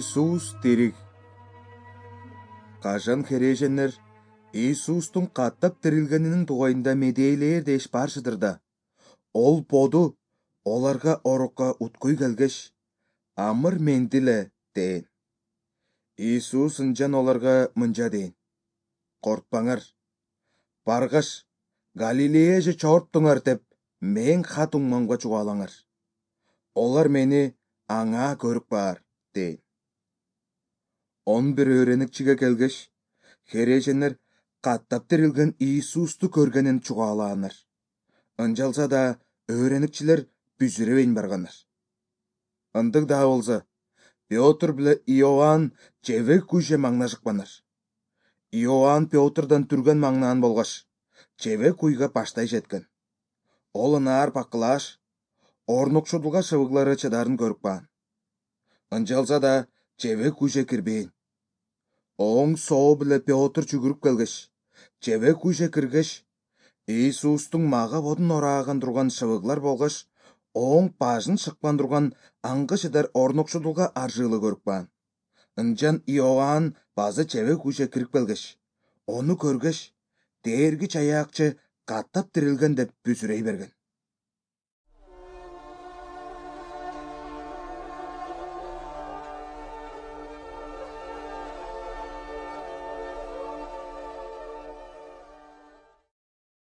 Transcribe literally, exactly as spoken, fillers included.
Иисус тирик. Кажан хереженер Иисустун каттап тирилгенинин тугайында медейлер деш баршыдыр да. Ол боду оларга орукка уткуй келгеш, амыр мендиле дейин. Иисус ынчан оларга мынча дейин: Коркпаңар. Баргаш Галилеяже чоорттуңар деп мен кат уңмамга чугаалаңар. Олар мени аңа көрүп баар дейин. Он бир өөреникчиге келгеш, хереженер каттап тирилген Иисусту көргенин чугаалаанар. Ынчалса да өөреникчилер бүзүрөбейн барганар. Ындык да болсо, Пётр биле Иоанн жебек күйше маңнашыкпанар. Иоанн Пётрдан түргөн маңнаан болгоч, жебек куйга баштай жеткен. Ол ынаар бакылааш, орнукшудулга шыбыглары чыдарын көрүп каан. Ынчалса да жебек күйше кирбейин. Оң соо биле Пётр жүгүрүп келгеш, жебек күйше киргеш, Иисустуң мага бодун орааган турган шыбыглар болгоч, оң башын шыкпан турган аңгы чыдар орнукшудулга аржыылы көрүп каан. Ынчан Иоанн базы жебек күйше кирип келгеш, ону көргөч, Дээрги Чаяакчы каттап тирилген деп бүзүрөй берген.